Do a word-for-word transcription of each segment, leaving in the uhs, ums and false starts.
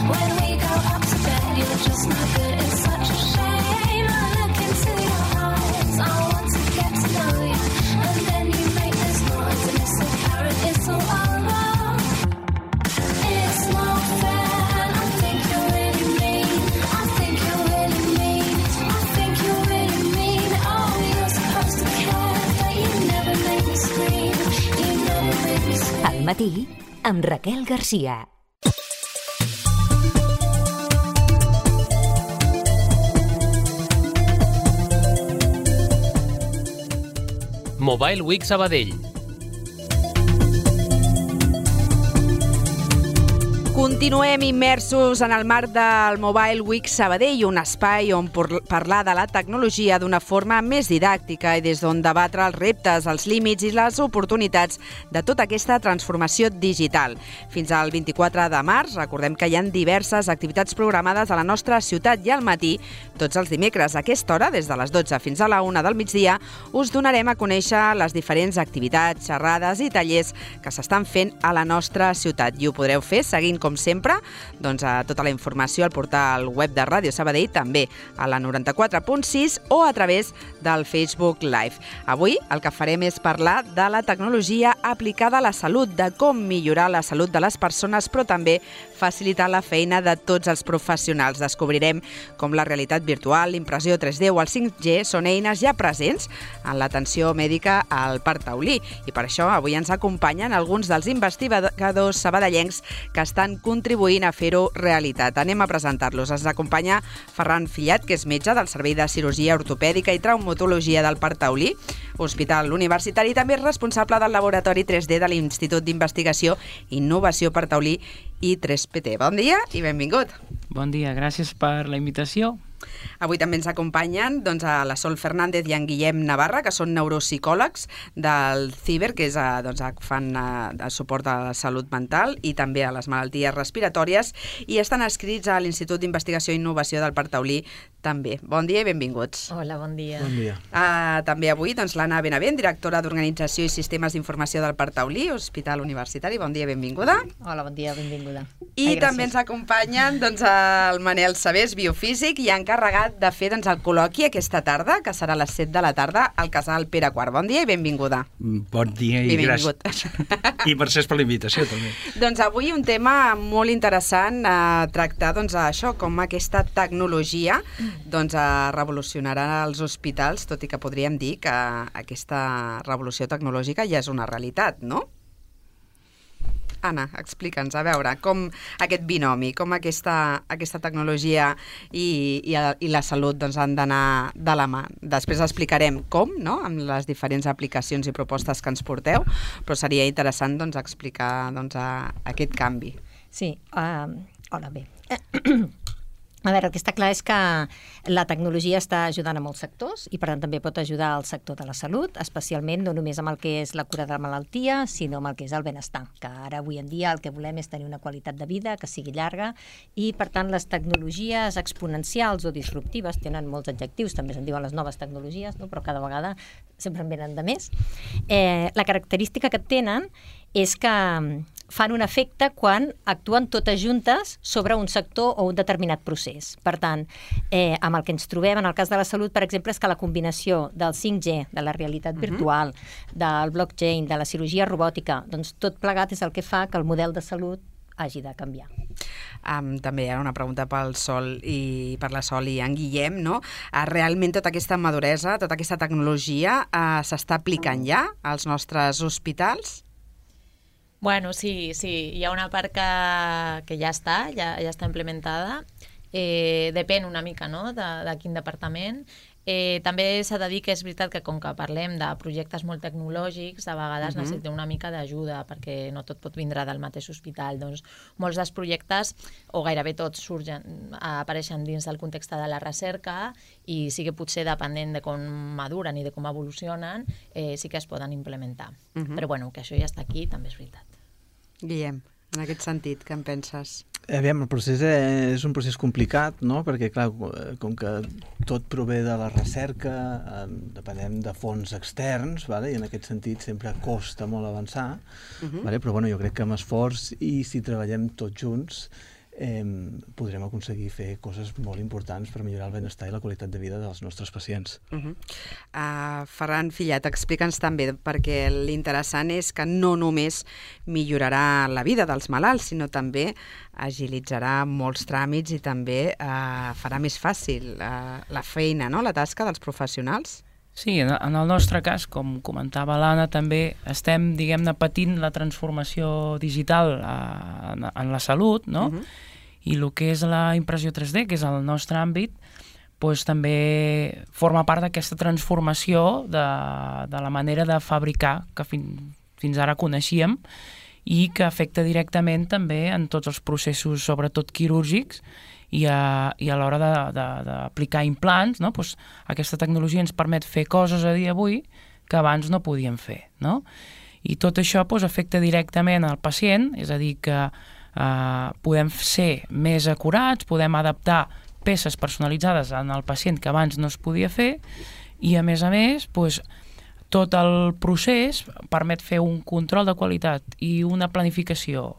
When we go up to bed, you're just no good. It's such a shame. I look into your eyes. I want to get to know you. And then you make this noise, and it's apparent it's all over. It's not fair. I think you're really mean. I think you're really mean. I think you're really mean. Oh, you're supposed to care, but you never make me scream. You never make me scream. Al matí, amb Raquel Garcia. Mobile Week Sabadell. Continuem immersos en el marc del Mobile Week Sabadell, un espai on parlar de la tecnologia d'una forma més didàctica i des d'on debatre els reptes, els límits i les oportunitats de tota aquesta transformació digital. Fins al vint-i-quatre de març, recordem que hi ha diverses activitats programades a la nostra ciutat i al matí, tots els dimecres a aquesta hora, des de les dotze fins a la una del migdia, us donarem a conèixer les diferents activitats, xerrades i tallers que s'estan fent a la nostra ciutat. I ho podreu fer seguint, com sempre, doncs, a tota la informació al portal web de Ràdio Sabadell, també a la noranta-quatre punt sis o a través del Facebook Live. Avui el que farem és parlar de la tecnologia aplicada a la salut, de com millorar la salut de les persones, però també facilitar la feina de tots els professionals. Descobrirem com la realitat virtual, l'impressió tres D o el cinc G són eines ja presents en l'atenció mèdica al Parc Taulí. I per això avui ens acompanyen alguns dels investigadors sabadellencs que estan contribuint a fer-ho realitat. Anem a presentar-los. Ens acompanya Ferran Fillat, que és metge del Servei de Cirurgia Ortopèdica i Traumatologia del Parc Taulí, Hospital Universitari, i també és responsable del Laboratori tres D de l'Institut d'Investigació i Innovació Parc Taulí i tres P T. Bon dia i benvingut. Bon dia, gràcies per la invitació. Avui també ens acompanyen doncs, a la Sol Fernández i en Guillem Navarra, que són neuropsicòlegs del CIBER, que és, doncs, fan eh, suport a la salut mental i també a les malalties respiratòries, i estan adscrits a l'Institut d'Investigació i Innovació del Parc Taulí també. Bon dia i benvinguts. Hola, bon dia. Bon dia. Uh, també avui doncs, l'Anna Benavent, directora d'Organització i Sistemes d'Informació del Parc Taulí, Hospital Universitari. Bon dia i benvinguda. Hola, bon dia, benvinguda. I Ai, també ens acompanyen doncs, el Manel Sabés, biofísic, i encarregat de fer doncs, el col·loqui aquesta tarda, que serà a les set de la tarda, al Casal Pere quart. Bon dia i benvinguda. Bon dia i, i gràcies. I mercès per la invitació, també. Doncs avui un tema molt interessant a tractar, doncs, això, com aquesta tecnologia doncs, revolucionarà els hospitals, tot i que podríem dir que aquesta revolució tecnològica ja és una realitat, no? Anna, explica'ns, a veure, com aquest binomi, com aquesta, aquesta tecnologia i, i, i la salut doncs, han d'anar de la mà. Després explicarem com, no?, amb les diferents aplicacions i propostes que ens porteu, però seria interessant doncs, explicar doncs, a, aquest canvi. Sí, uh, hola, bé. A veure, el que està clar és que la tecnologia està ajudant a molts sectors i, per tant, també pot ajudar al sector de la salut, especialment no només amb el que és la cura de la malaltia, sinó amb el que és el benestar, que ara, avui en dia, el que volem és tenir una qualitat de vida que sigui llarga i, per tant, les tecnologies exponencials o disruptives tenen molts adjectius, també se'n diuen les noves tecnologies, no? Però cada vegada sempre en venen de més. Eh, la característica que tenen és que fan un efecte quan actuen totes juntes sobre un sector o un determinat procés. Per tant, eh, amb el que ens trobem en el cas de la salut, per exemple, és que la combinació del cinc G, de la realitat uh-huh. virtual, del blockchain, de la cirurgia robòtica, doncs tot plegat és el que fa que el model de salut hagi de canviar. Um, també hi ha una pregunta pel Sol i per la Sol i en Guillem, no? Uh, realment tota aquesta maduresa, tota aquesta tecnologia uh, s'està aplicant ja als nostres hospitals? Bueno, sí, sí, hi ha una part que, que ja està, ja, ja està implementada. Eh, depèn una mica, no?, de, de quin departament. Eh, també s'ha de dir que és veritat que com que parlem de projectes molt tecnològics, a vegades uh-huh. necessitem una mica d'ajuda, perquè no tot pot vindre del mateix hospital. Doncs molts dels projectes, o gairebé tots, surgen, apareixen dins del context de la recerca i sí que potser depenent de com maduren i de com evolucionen, eh, sí que es poden implementar. Uh-huh. Però bueno, que això ja està aquí, també és veritat. Guillem, en aquest sentit, què en penses? Aviam, el procés és un procés complicat, no? Perquè, clar, com que tot prové de la recerca, depenem de fons externs, vale? I en aquest sentit sempre costa molt avançar, uh-huh. vale? Però bueno, jo crec que amb esforç i si treballem tots junts eh, podrem aconseguir fer coses molt importants per millorar el benestar i la qualitat de vida dels nostres pacients. Uh -huh. uh, Ferran Fillat, explica'ns també, perquè l'interessant és que no només millorarà la vida dels malalts, sinó també agilitzarà molts tràmits i també uh, farà més fàcil uh, la feina, no? La tasca dels professionals. Sí, en el nostre cas, com comentava l'Anna, també estem, diguem-ne, patint la transformació digital en, en la salut, no? Uh-huh. I el que és la impressió tres D, que és el nostre àmbit, doncs també forma part d'aquesta transformació de, de la manera de fabricar que fin, fins ara coneixíem i que afecta directament també en tots els processos, sobretot quirúrgics, i a, i a l'hora d'aplicar implants, no? Pues aquesta tecnologia ens permet fer coses a dia d'avui que abans no podíem fer, no? I tot això pues, afecta directament al pacient, és a dir, que eh, podem ser més acurats, podem adaptar peces personalitzades en el pacient que abans no es podia fer, i a més a més, pues, tot el procés permet fer un control de qualitat i una planificació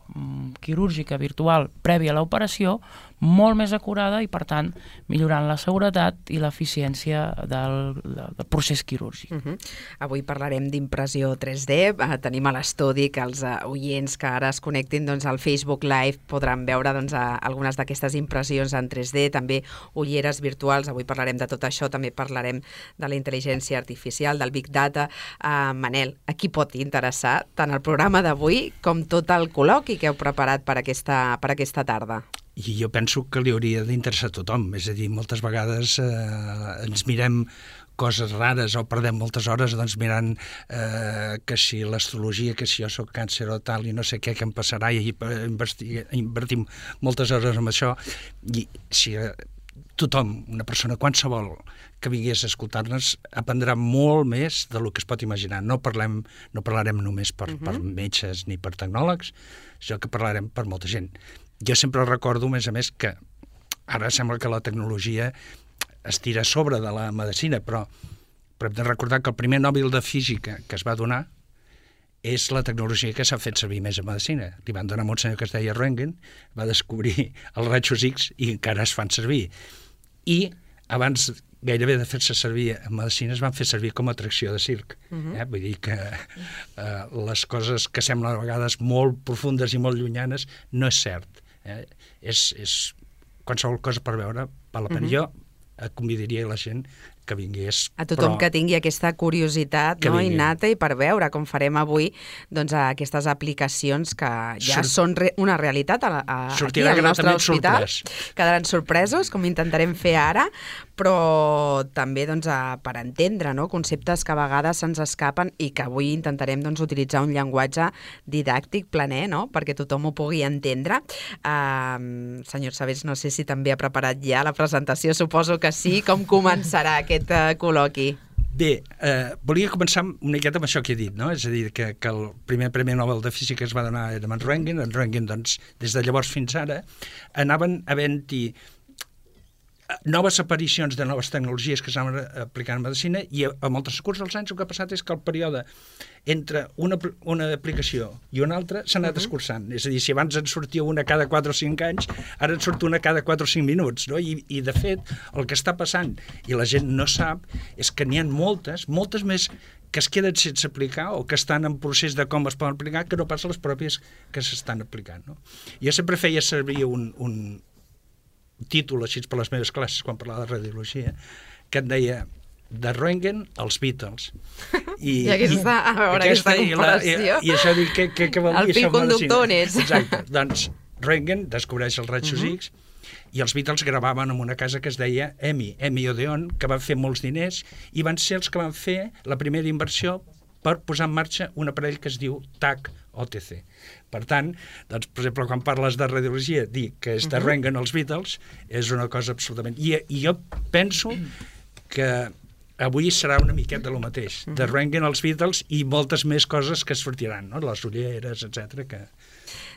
quirúrgica virtual prèvia a l'operació molt més acurada i, per tant, millorant la seguretat i l'eficiència del, del procés quirúrgic. Uh -huh. Avui parlarem d'impressió tres D. Uh, tenim a l'estudi que els uh, oients que ara es connectin doncs, al Facebook Live podran veure doncs, uh, algunes d'aquestes impressions en tres D, també ulleres virtuals. Avui parlarem de tot això, també parlarem de la intel·ligència artificial, del Big Data. Uh, Manel, a qui pot interessar tant el programa d'avui com tot el col·loqui que heu preparat per aquesta, per aquesta tarda? I jo penso que li hauria d'interessar a tothom. És a dir, moltes vegades eh, ens mirem coses rares o perdem moltes hores doncs, mirant eh, que si l'astrologia, que si jo soc càncer o tal i no sé què, què em passarà, i invertim moltes hores en això. I si eh, tothom, una persona qualsevol que vingués a escoltar-nos, aprendrà molt més del que es pot imaginar. No, parlem, no parlarem només per, uh-huh. per metges ni per tecnòlegs, sinó que parlarem per molta gent. Jo sempre recordo, a més a més, que ara sembla que la tecnologia es tira a sobre de la medicina, però, però hem de recordar que el primer Nobel de Física que es va donar és la tecnologia que s'ha fet servir més a medicina. Li van donar a un senyor que es deia Röntgen, va descobrir els rajos X i encara es fan servir. I abans gairebé de fer-se servir en medicina es van fer servir com a atracció de circ. Uh-huh. eh? Vull dir que eh, les coses que semblen a vegades molt profundes i molt llunyanes no és cert. Eh? És, és qualsevol cosa per veure val la pena. Uh-huh. Jo convidaria la gent que vingués. A tothom però... que tingui aquesta curiositat no, innata i per veure, com farem avui, doncs, aquestes aplicacions que ja Surt... són re una realitat a, a, aquí al nostre hospital. Sorprès. Quedaran sorpresos, com intentarem fer ara, però també doncs, a, per entendre no, conceptes que a vegades se'ns escapen i que avui intentarem doncs, utilitzar un llenguatge didàctic, planer, no? Perquè tothom ho pugui entendre. Uh, senyor Sabés, no sé si també ha preparat ja la presentació, suposo que sí. Com començarà aquest aquest uh, col·loqui? Bé, eh, volia començar una miqueta amb això que he dit, no? És a dir, que, que el primer Premi Nobel de Física es va donar era en Röntgen. En Röntgen, doncs, des de llavors fins ara, anaven havent-hi noves aparicions de noves tecnologies que s'anaven aplicant en medicina i amb el transcurs dels anys el que ha passat és que el període entre una, una aplicació i una altra s'ha anat uh-huh. escurçant. És a dir, si abans en sortia una cada quatre o cinc anys, ara en surt una cada quatre o cinc minuts. No? I, I, de fet, el que està passant, i la gent no sap, és que n'hi ha moltes, moltes més que es queden sense aplicar o que estan en procés de com es poden aplicar que no pas les pròpies que s'estan aplicant. No? Jo sempre feia servir un, un títol així per les meves classes quan parlava de radiologia que et deia de Röntgen als Beatles. I, I aquesta, a veure, aquesta, aquesta comparació. I, i, i això dic, què, què, què vol dir? El fil conductor n'és. Exacte. Doncs Röntgen descobreix els rajos uh-huh. X i els Beatles gravaven en una casa que es deia EMI, EMI Odeon, que van fer molts diners i van ser els que van fer la primera inversió per posar en marxa un aparell que es diu T A C O T C. Per tant, doncs, per exemple, quan parles de radiologia, dir que és de Röntgen els Beatles és una cosa absolutament... I, i jo penso que avui serà una miqueta del mateix. De Röntgen els Beatles i moltes més coses que sortiran, no? Les ulleres, etcètera, que...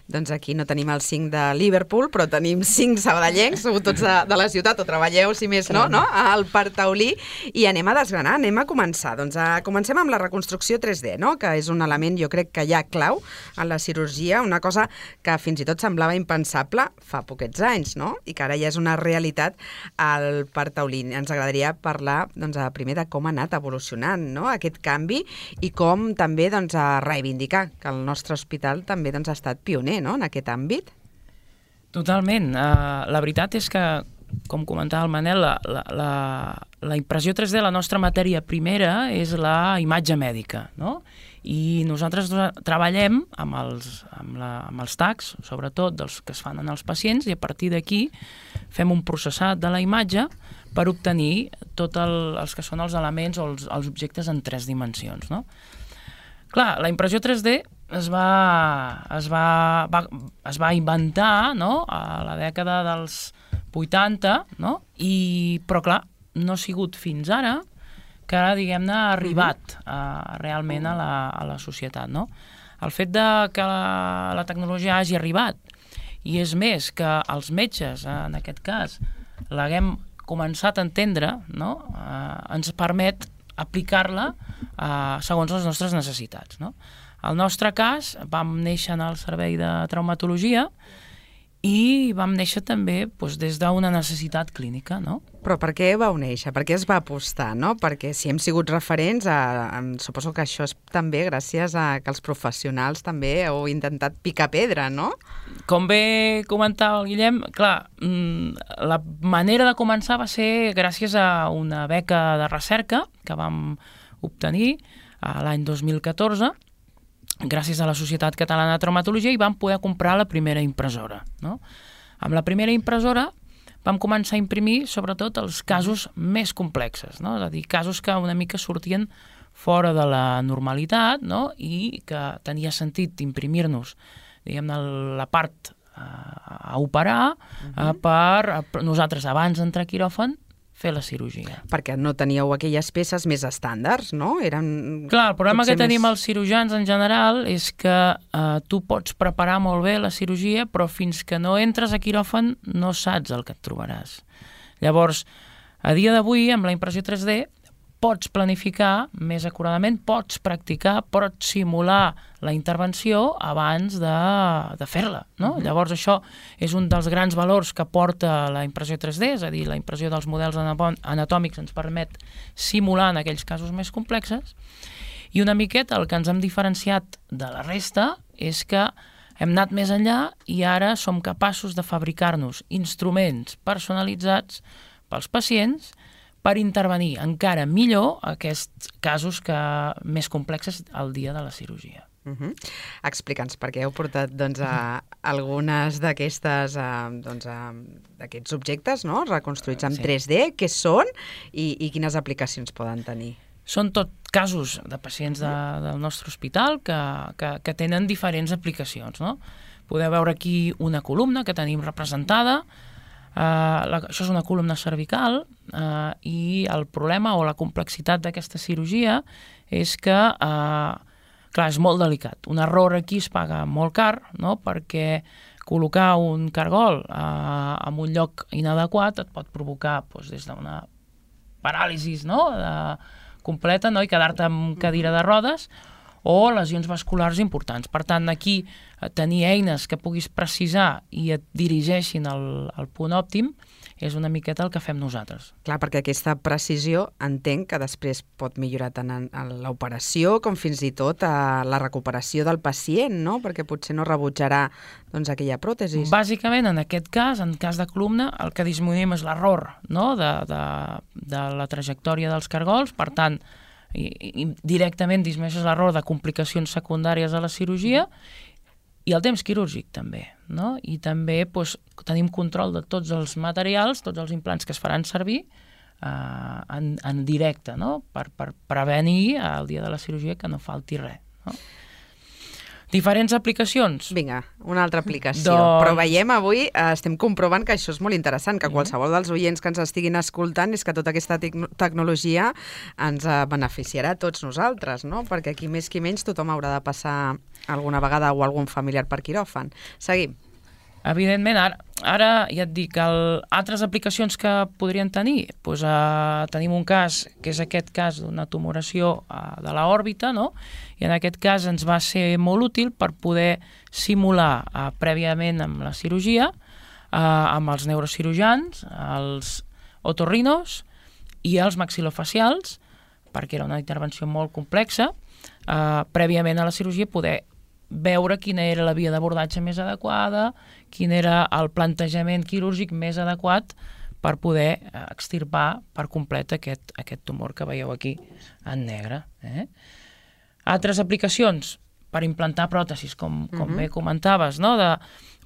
doncs aquí no tenim el cinc de Liverpool, però tenim cinc sabadellencs, sou tots de, de la ciutat, o treballeu, si més no, no? Al Parc Taulí, i anem a desgranar, anem a començar. Doncs a, comencem amb la reconstrucció tres D, no? Que és un element, jo crec que ja clau en la cirurgia, una cosa que fins i tot semblava impensable fa poquets anys, no? I que ara ja és una realitat al Parc Taulí. Ens agradaria parlar, doncs, primer de com ha anat evolucionant, no? Aquest canvi, i com també, doncs, a reivindicar que el nostre hospital també, doncs, ha estat pioner, no?, en aquest àmbit. Totalment. Uh, la veritat és que, com comentava el Manel, la, la, la, la impressió tres D, la nostra matèria primera, és la imatge mèdica, no? I nosaltres treballem amb els, amb la, amb els tags, sobretot dels que es fan en els pacients, i a partir d'aquí fem un processat de la imatge per obtenir tots el, els que són els elements o els, els objectes en tres dimensions, no? Clar, la impressió tres D es va, es va, va, es va inventar, no?, a la dècada dels vuitanta, no? I, però clar, no ha sigut fins ara que ara, diguem-ne, ha arribat uh, realment a la, a la societat, no? El fet de que la, la tecnologia hagi arribat, i és més, que els metges, en aquest cas, l'haguem començat a entendre, no?, uh, ens permet aplicar-la uh, segons les nostres necessitats, no? Al nostre cas, vam néixer en el servei de traumatologia i vam néixer també, doncs, des d'una necessitat clínica, no? Però per què vau néixer? Per què es va apostar, no? Perquè si hem sigut referents, a, a, suposo que això és també gràcies a que els professionals també heu intentat picar pedra, no? Com bé comentava el Guillem, clar, la manera de començar va ser gràcies a una beca de recerca que vam obtenir l'any dos mil catorze, gràcies a la Societat Catalana de Traumatologia, i vam poder comprar la primera impressora, no? Amb la primera impressora vam començar a imprimir sobretot els casos més complexes, no? És a dir, casos que una mica sortien fora de la normalitat, no?, i que tenia sentit imprimir-nos, diguem-ne, la part a operar uh-huh. per, per nosaltres, abans d'entrar a quiròfan, fer la cirurgia. Perquè no teníeu aquelles peces més estàndards, no? Eren... Clar, el problema que tenim més... els cirurgians en general és que eh, tu pots preparar molt bé la cirurgia, però fins que no entres a quiròfan no saps el que et trobaràs. Llavors, a dia d'avui, amb la impressió tres D, pots planificar més acuradament, pots practicar, pots simular la intervenció abans de, de fer-la, no? Uh-huh. Llavors això és un dels grans valors que porta la impressió tres D, és a dir, la impressió dels models anatòmics ens permet simular en aquells casos més complexes, i una miqueta el que ens hem diferenciat de la resta és que hem anat més enllà i ara som capaços de fabricar-nos instruments personalitzats pels pacients per intervenir encara millor aquests casos que més complexes al dia de la cirurgia. Uh-huh. Explica'ns, perquè heu portat, doncs, a algunes d'aquestes, doncs, d'aquests objectes, no?, reconstruïts en sí. tres D, què són i, i quines aplicacions poden tenir? Són tot casos de pacients de, del nostre hospital que, que, que tenen diferents aplicacions, no? Podeu veure aquí una columna que tenim representada. Uh, la, això és una columna cervical uh, i el problema o la complexitat d'aquesta cirurgia és que, uh, clar, és molt delicat. Un error aquí es paga molt car, no?, perquè col·locar un cargol uh, en un lloc inadequat et pot provocar, doncs, des d'una paràlisi, no?, de, completa, no?, i quedar-te amb cadira de rodes, o lesions vasculars importants. Per tant, aquí tenir eines que puguis precisar i et dirigeixin al, al punt òptim és una miqueta el que fem nosaltres. Clar, perquè aquesta precisió entenc que després pot millorar tant en, en l'operació com fins i tot a la recuperació del pacient, no? Perquè potser no rebutjarà, doncs, aquella pròtesi. Bàsicament, en aquest cas, en cas de columna, el que disminuïm és l'error, no?, de, de, de la trajectòria dels cargols. Per tant, i, i directament disminueixes l'error de complicacions secundàries a la cirurgia i el temps quirúrgic també, no? I també, doncs, tenim control de tots els materials, tots els implants que es faran servir eh, en, en directe, no?, per, per prevenir el dia de la cirurgia que no falti res, no? Diferents aplicacions? Vinga, una altra aplicació. Doncs- Però veiem avui, eh, estem comprovant que això és molt interessant, que qualsevol dels oients que ens estiguin escoltant és que tota aquesta tec- tecnologia ens eh, beneficiarà a tots nosaltres, no? Perquè aquí més que menys tothom haurà de passar alguna vegada o algun familiar per quiròfan. Seguim. Evidentment, ara, ara ja et dic, el, altres aplicacions que podrien tenir, doncs, eh, tenim un cas, que és aquest cas d'una tumoració eh, de l'òrbita, no? I en aquest cas ens va ser molt útil per poder simular eh, prèviament amb la cirurgia, eh, amb els neurocirurgians, els otorrinos i els maxilofacials, perquè era una intervenció molt complexa, eh, prèviament a la cirurgia poder veure quina era la via d'abordatge més adequada, quin era el plantejament quirúrgic més adequat per poder extirpar per complet aquest, aquest tumor que veieu aquí en negre. Eh? Altres aplicacions per implantar pròtesis, com, com Mhm. bé comentaves, no? De,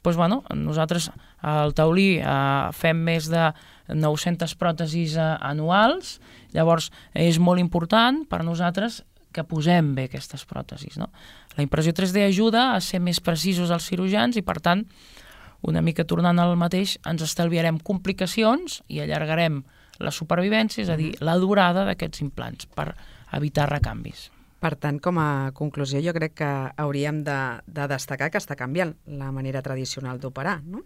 doncs, bueno, nosaltres al Taulí eh, fem més de nou-centes pròtesis eh, anuals, llavors és molt important per nosaltres que posem bé aquestes pròtesis, no? La impressió tres D ajuda a ser més precisos els cirurgians i, per tant, una mica tornant al mateix, ens estalviarem complicacions i allargarem la supervivència, és a dir, la durada d'aquests implants per evitar recanvis. Per tant, com a conclusió, jo crec que hauríem de, de destacar que està canviant la manera tradicional d'operar, no?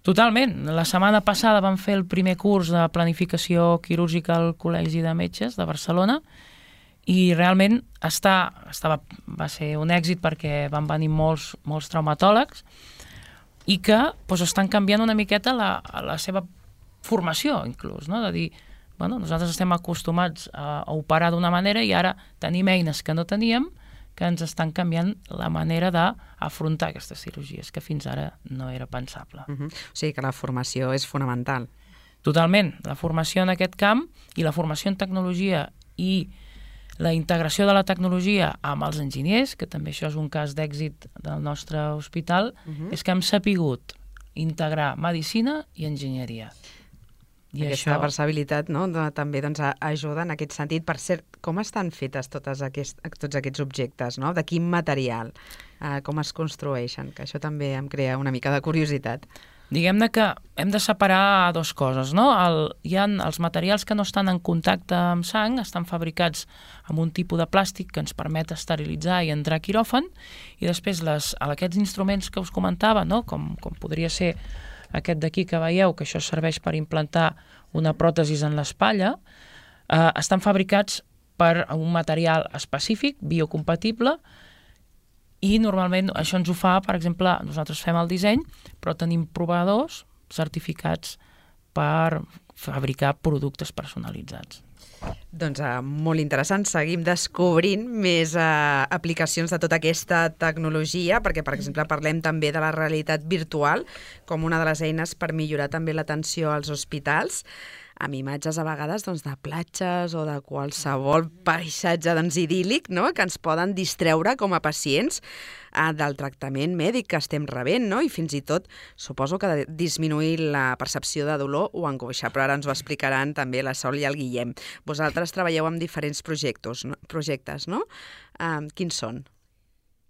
Totalment. La setmana passada vam fer el primer curs de planificació quirúrgica al Col·legi de Metges de Barcelona i realment està, estava, va ser un èxit perquè van venir molts, molts traumatòlegs i que doncs, estan canviant una miqueta la, la seva formació, inclús, no? De dir, bueno, nosaltres estem acostumats a, a operar d'una manera i ara tenim eines que no teníem que ens estan canviant la manera d'afrontar aquestes cirurgies, que fins ara no era pensable. Uh -huh. O sigui que la formació és fonamental. Totalment. La formació en aquest camp i la formació en tecnologia i la integració de la tecnologia amb els enginyers, que també això és un cas d'èxit del nostre hospital, Uh-huh. és que hem sapigut integrar medicina i enginyeria. I Aquesta això, versatilitat, no? de, també doncs, a- ajuda en aquest sentit. Per cert, com estan fetes totes aquest, tots aquests objectes? No? De quin material? Uh, com es construeixen? Que això també em crea una mica de curiositat. diguem-ne que hem de separar dos coses, no? El, hi ha els materials que no estan en contacte amb sang, estan fabricats amb un tipus de plàstic que ens permet esterilitzar i entrar a quiròfan, i després les, aquests instruments que us comentava, no? com, com podria ser aquest d'aquí que veieu, que això serveix per implantar una pròtesi en l'espatlla, eh, estan fabricats per un material específic, biocompatible, i normalment això ens ho fa, per exemple, nosaltres fem el disseny, però tenim proveïdors certificats per fabricar productes personalitzats. Doncs uh, molt interessant, seguim descobrint més uh, aplicacions de tota aquesta tecnologia, perquè, per exemple, parlem també de la realitat virtual com una de les eines per millorar també l'atenció als hospitals, amb imatges a vegades doncs, de platges o de qualsevol paisatge doncs, idíl·lic, no? que ens poden distreure com a pacients eh, del tractament mèdic que estem rebent, no? i fins i tot suposo que de disminuir la percepció de dolor o angoixa, però ara ens ho explicaran també la Sol i el Guillem. Vosaltres treballeu amb diferents projectes, no? projectes, no? Eh, quins són?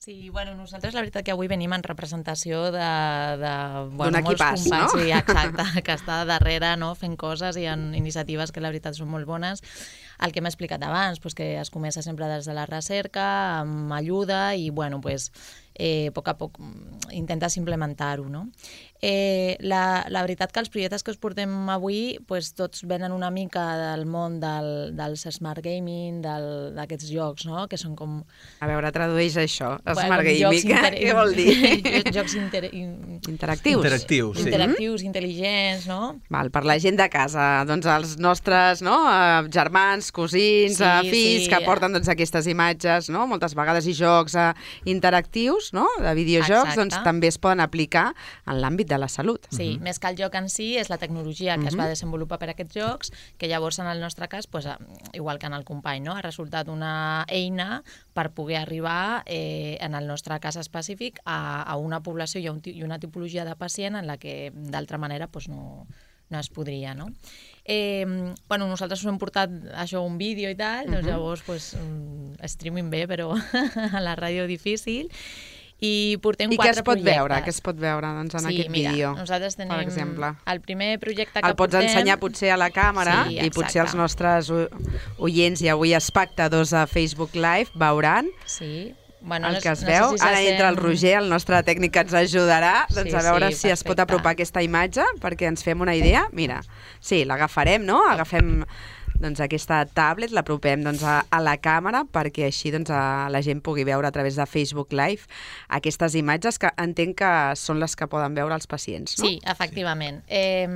Sí, bueno, nosaltres la veritat que avui venim en representació de, de bueno, D'un molts equipàs, companys, no? sí, exacte, que està darrere no, fent coses i en iniciatives que la veritat són molt bones. El que hem explicat abans, pues, que es comença sempre des de la recerca, amb ajuda i, bueno, pues, eh, a poc a poc intentes implementar-ho, no? Eh, la, la veritat que els projectes que us portem avui pues, tots venen una mica del món del, dels smart gaming, d'aquests jocs, no? Que són com... A veure, tradueix això, Bueno, smart jocs gaming, inter- què vol dir? jocs inter... in- Interactius. Interactius, sí. interactius, intel·ligents, no? Val, per la gent de casa, doncs els nostres no, eh, germans, cosins, Sí, eh, fills, sí. que porten doncs, aquestes imatges, no, moltes vegades i jocs eh, interactius, no, de videojocs, Exacte. doncs també es poden aplicar en l'àmbit de la salut. Sí, més que el joc en si, és la tecnologia que es va desenvolupar per a aquests jocs, que llavors en el nostre cas, pues, eh, igual que en el company, no? ha resultat una eina per poder arribar, eh, en el nostre cas específic, a, a una població i, a un, ti- i una tipologia de pacient en la que d'altra manera pues, no, no es podria, no? Eh, bueno, nosaltres us hem portat això, un vídeo i tal, doncs llavors pues, mm, streaming bé, però a la ràdio difícil. I portem I què quatre es pot projectes. veure? Què es pot veure doncs, en sí, aquest mira, vídeo, nosaltres tenim per exemple? El primer projecte que El pots portem... ensenyar potser a la càmera Sí, i potser els exacte. nostres o- oients i avui espectadors a Facebook Live veuran Sí. Bueno, el no, que es no veu. sé si Ara se entra el sent- Roger, el nostre tècnic que ens ajudarà doncs, Sí, a veure sí, si es pot perfecte. apropar aquesta imatge perquè ens fem una idea. Mira, sí, l'agafarem, no? Agafem doncs, aquesta tablet, l'apropem doncs, a, a la càmera perquè així doncs, a, la gent pugui veure a través de Facebook Live aquestes imatges que entenc que són les que poden veure els pacients, no? Sí, efectivament. Eh,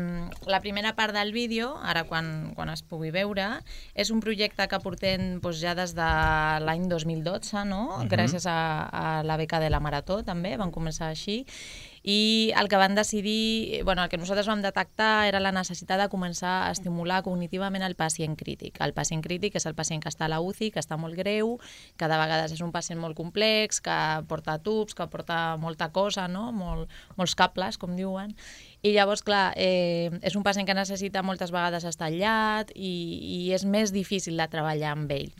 la primera part del vídeo, ara quan, quan es pugui veure, és un projecte que portem doncs, ja des de l'any dos mil dotze, no? Mhm. Gràcies a, a la beca de la Marató, també, van començar així. I el que van decidir, bueno, el que nosaltres vam detectar era la necessitat de començar a estimular cognitivament el pacient crític. El pacient crític és el pacient que està a la U C I, que està molt greu, que de vegades és un pacient molt complex, que porta tubs, que porta molta cosa, no? Molt, molts cables, com diuen. I llavors, clar, eh, és un pacient que necessita moltes vegades estar aïllat i, i és més difícil de treballar amb ell.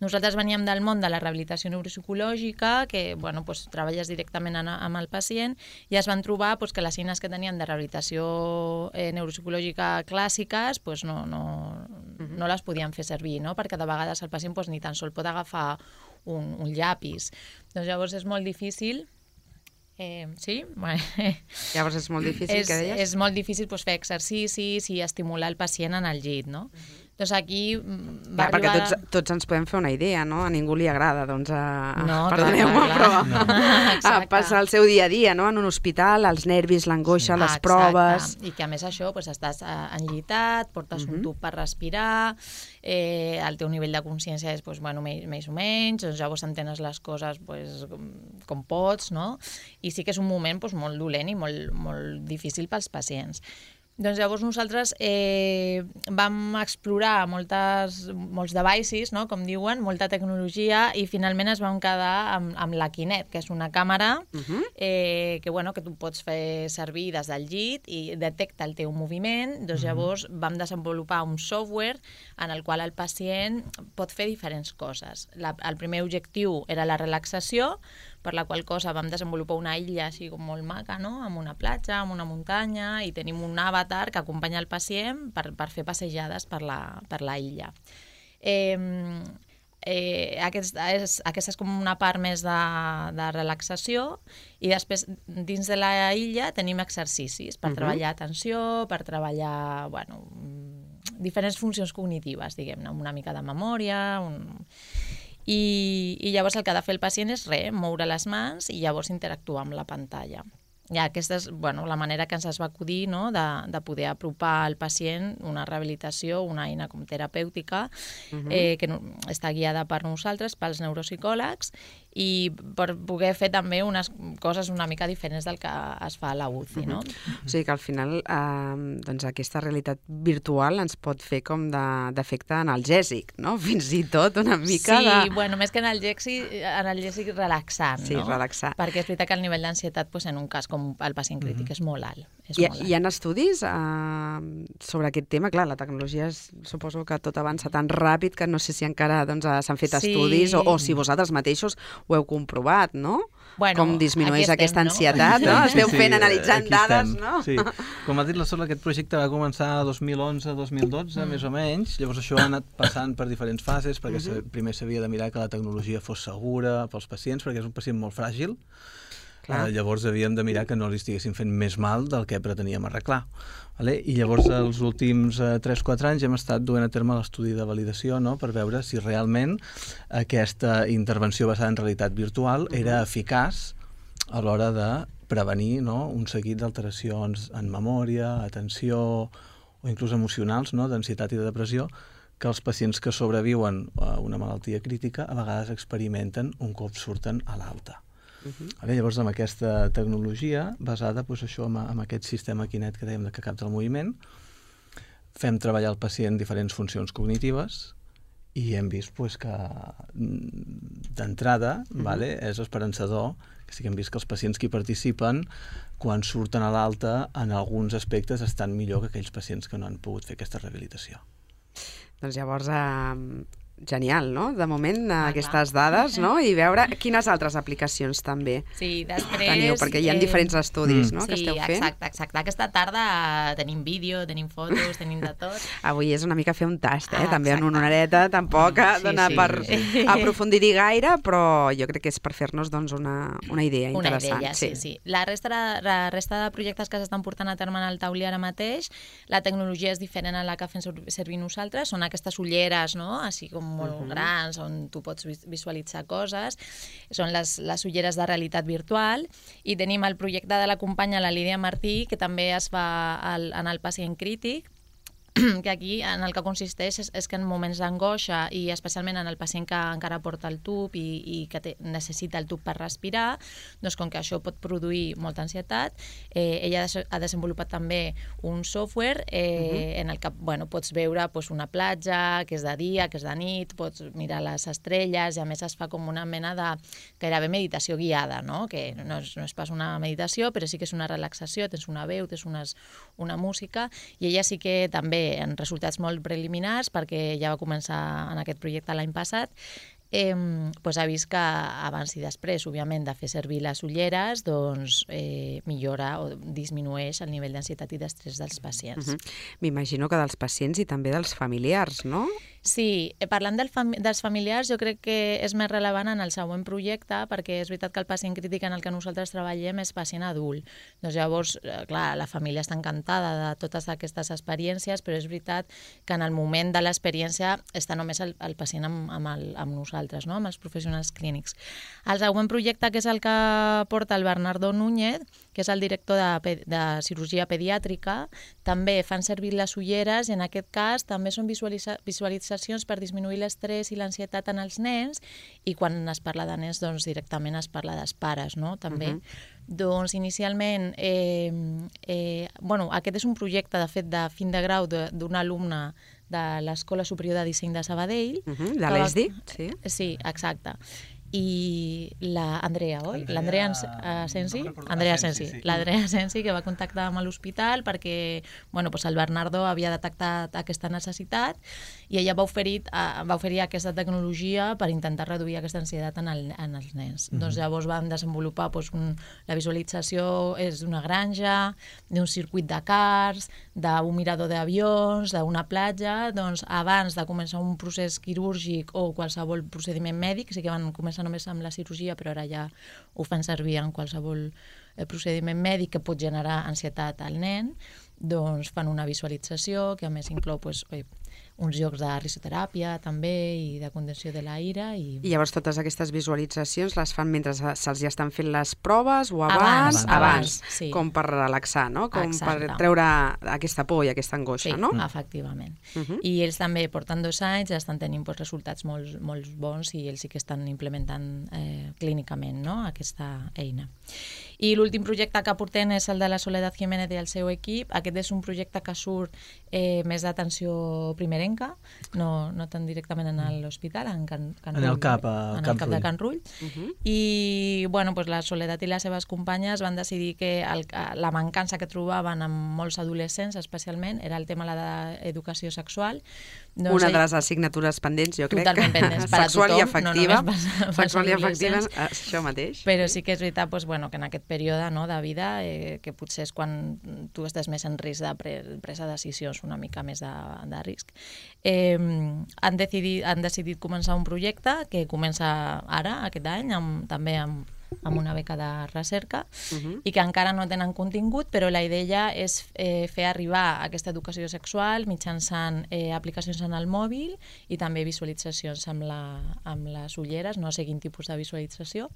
Nosaltres veníem del món de la rehabilitació neuropsicològica, que bueno, doncs, treballes directament en, amb el pacient, i es van trobar doncs, que les eines que tenien de rehabilitació eh, neuropsicològica clàssiques doncs, no, no, no les podien fer servir, no? Perquè de vegades el pacient doncs, ni tan sol pot agafar un, un llapis. Doncs llavors és molt difícil. Eh, sí? Llavors és molt difícil, és, què deies? És molt difícil doncs, fer exercicis i estimular el pacient en el llit, no? Uh-huh. Doncs aquí mm, va Clar, perquè arribar... tots, tots ens podem fer una idea, no? A ningú li agrada, doncs, a, No, perdoneu-me, clar, clar, però clar. a Exacte. passar el seu dia a dia, no? En un hospital, els nervis, l'angoixa, les Exacte. proves... I que a més això, doncs, estàs eh, enllitat, portes Mhm. un tub per respirar, eh, el teu nivell de consciència és doncs, bueno, més, més o menys, doncs, llavors entenes les coses doncs, com, com pots, no? I sí que és un moment doncs, molt dolent i molt, molt difícil pels pacients. Doncs llavors nosaltres eh, vam explorar moltes, molts devices, no? Com diuen, molta tecnologia, i finalment es vam quedar amb, amb la Kinect, que és una càmera Mhm. eh, que, bueno, que tu pots fer servir des del llit i detecta el teu moviment. Doncs llavors vam desenvolupar un software en el qual el pacient pot fer diferents coses. La, el primer objectiu era la relaxació, per la qual cosa vam desenvolupar una illa així com molt maca, no? Amb una platja, amb una muntanya, i tenim un avatar que acompanya el pacient per, per fer passejades per la, per la illa. Eh, eh, aquesta, és, aquesta és com una part més de, de relaxació, i després dins de la illa tenim exercicis per Mhm. treballar atenció, per treballar bueno, diferents funcions cognitives, diguem-ne, una mica de memòria... Un... I, i llavors el que ha de fer el pacient és res, moure les mans i llavors interactuar amb la pantalla. I aquesta és bueno, la manera que ens es va acudir, no? de, de poder apropar al pacient una rehabilitació, una eina com terapèutica, Mhm. eh, que no, està guiada per nosaltres, pels neuropsicòlegs, i per poder fer també unes coses una mica diferents del que es fa a la U C I, no? O sigui que al final eh, doncs aquesta realitat virtual ens pot fer com de- d'efecte analgèsic, no? Fins i tot una mica sí, de... bueno, més que analgèsic, analgèsic relaxant, Sí, no? relaxar. Perquè és veritat que el nivell d'ansietat pues, en un cas com el pacient crític Mhm. és molt alt. És Hi, molt alt. hi ha estudis eh, sobre aquest tema? Clar, la tecnologia és, suposo que tot avança tan ràpid que no sé si encara doncs, eh, s'han fet Sí. estudis o, o si vosaltres mateixos ho heu comprovat, no? Bueno, Com disminueix aquí estem, aquesta no? ansietat, no? Esteu fent, analitzant aquí dades, estem. no? Sí. Com ha dit la Sol, aquest projecte va començar dos mil onze dos mil dotze, Mm. més o menys. Llavors això ha anat passant per diferents fases, perquè Mhm. uh-huh. primer s'havia de mirar que la tecnologia fos segura pels pacients, perquè és un pacient molt fràgil. Clar. Uh, llavors havíem de mirar que no li estiguessin fent més mal del que preteníem arreglar. Vale? I llavors els últims uh, tres quatre anys hem estat duent a terme l'estudi de validació, no? Per veure si realment aquesta intervenció basada en realitat virtual era eficaç a l'hora de prevenir, no? Un seguit d'alteracions en memòria, atenció o inclús emocionals, no? D'ansietat i de depressió, que els pacients que sobreviuen a una malaltia crítica a vegades experimenten un cop surten a l'alta. Mhm. Vale, llavors, amb aquesta tecnologia, basada doncs, això, amb, amb aquest sistema Kinect que dèiem de que capta el moviment, fem treballar el pacient diferents funcions cognitives i hem vist pues, que mm, d'entrada Mhm. vale, és esperançador, que sí que hem vist que els pacients que hi participen, quan surten a l'alta, en alguns aspectes estan millor que aquells pacients que no han pogut fer aquesta rehabilitació. Doncs llavors, eh, genial, no? De moment, Ah, aquestes clar. dades, no? I veure quines altres aplicacions també Sí, després... teniu, perquè hi ha eh, diferents estudis, no?, que Sí, esteu fent. exacte, exacte. Aquesta tarda tenim vídeo, tenim fotos, tenim de tot. Avui és una mica fer un tast, eh? Ah, També en exacte. una horeta, tampoc Sí, dona sí, per sí. aprofundir-hi gaire, però jo crec que és per fer-nos doncs, una, una idea Una interessant. idea, sí, sí. La resta, de, la resta de projectes que s'estan portant a terme en el taulí ara mateix, la tecnologia és diferent a la que fem servir nosaltres, són aquestes ulleres, no?, així com molt uh -huh. grans, on tu pots visualitzar coses, són les, les ulleres de realitat virtual, i tenim el projecte de la companya, la Lídia Martí, que també es fa al, en el pacient crític, que aquí en el que consisteix és, és que en moments d'angoixa, i especialment en el pacient que encara porta el tub i, i que té, necessita el tub per respirar, doncs com que això pot produir molta ansietat, eh, ella ha desenvolupat també un software eh, uh-huh. en el que bueno, pots veure pues, una platja, que és de dia, que és de nit, pots mirar les estrelles, i a més es fa com una mena de gairebé meditació guiada, no?, que no és, no és pas una meditació, però sí que és una relaxació, tens una veu, tens unes, una música, i ella sí que també en resultats molt preliminars, perquè ja va començar en aquest projecte l'any passat, eh, doncs ha vist que abans i després, òbviament, de fer servir les ulleres, doncs eh, millora o disminueix el nivell d'ansietat i d'estrès dels pacients. Uh-huh. M'imagino que dels pacients i també dels familiars, no? Sí, parlant del fam dels familiars, jo crec que és més rellevant en el següent projecte, perquè és veritat que el pacient crític en el que nosaltres treballem és pacient adult. Doncs llavors, clar, la família està encantada de totes aquestes experiències, però és veritat que en el moment de l'experiència està només el, el pacient amb, amb, el, amb nosaltres, no?, amb els professionals clínics. El següent projecte, que és el que porta el Bernardo Núñez, que és el director de, de cirurgia pediàtrica, també fan servir les ulleres, i en aquest cas també són visualitza visualitzacions per disminuir l'estrès i l'ansietat en els nens, i quan es parla de nens, doncs directament es parla dels pares, no?, també. Uh-huh. Doncs inicialment, eh, eh, bueno, aquest és un projecte, de fet, de fin de grau d'un alumne de l'Escola Superior de Disseny de Sabadell. Uh-huh, de l'E S D I, sí. Sí, exacte. I la Andrea, oi? L'Andrea Asensi? Andrea Asensi. L'Andrea Asensi, que va contactar amb l'hospital perquè bueno, doncs el Bernardo havia detectat aquesta necessitat, i ella va oferir, va oferir aquesta tecnologia per intentar reduir aquesta ansietat en, el, en els nens. Mm-hmm. Doncs llavors van desenvolupar doncs, un, la visualització és d'una granja, d'un circuit de cars, d'un mirador d'avions, d'una platja. Doncs abans de començar un procés quirúrgic o qualsevol procediment mèdic, sí que van començar només amb la cirurgia, però ara ja ho fan servir en qualsevol procediment mèdic que pot generar ansietat al nen, doncs fan una visualització que a més inclou doncs, oi, uns jocs de risoteràpia també i de contenció de l'aire. I... I llavors totes aquestes visualitzacions les fan mentre se'ls ja estan fent les proves o abans? Abans, abans, sí. Com per relaxar, no? Com Exacte. Per treure aquesta por i aquesta angoixa, sí, no? Sí, efectivament. Uh -huh. I ells també porten dos anys, estan tenint pues, resultats molt, molt bons, i ells sí que estan implementant eh, clínicament, no?, aquesta eina. I l'últim projecte que portem és el de la Soledad Jiménez i el seu equip. Aquest és un projecte que surt eh, més d'atenció primerenca, no, no tan directament en l'hospital, en Can, Can en Rull, el CAP, a en Can el CAP Rull. de Can Rull. Uh -huh. I bueno, pues la Soledad i les seves companyes van decidir que el, la mancança que trobaven en molts adolescents, especialment, era el tema de l'educació sexual. Doncs una de les assignatures pendents, jo crec. Totalment pendents per a tothom. Sexual i afectiva. No per, Sexual i afectiva, això mateix. Però sí que és veritat doncs, bueno, que en aquest període no, de vida, eh, que potser és quan tu estàs més en risc de pre presa de decisions, una mica més de, de risc. Eh, han, decidit, han decidit començar un projecte que comença ara, aquest any, amb, també amb amb una beca de recerca, uh-huh. i que encara no tenen contingut, però la idea és eh, fer arribar aquesta educació sexual mitjançant eh, aplicacions en el mòbil i també visualitzacions amb, la, amb les ulleres, no sé quin tipus de visualització,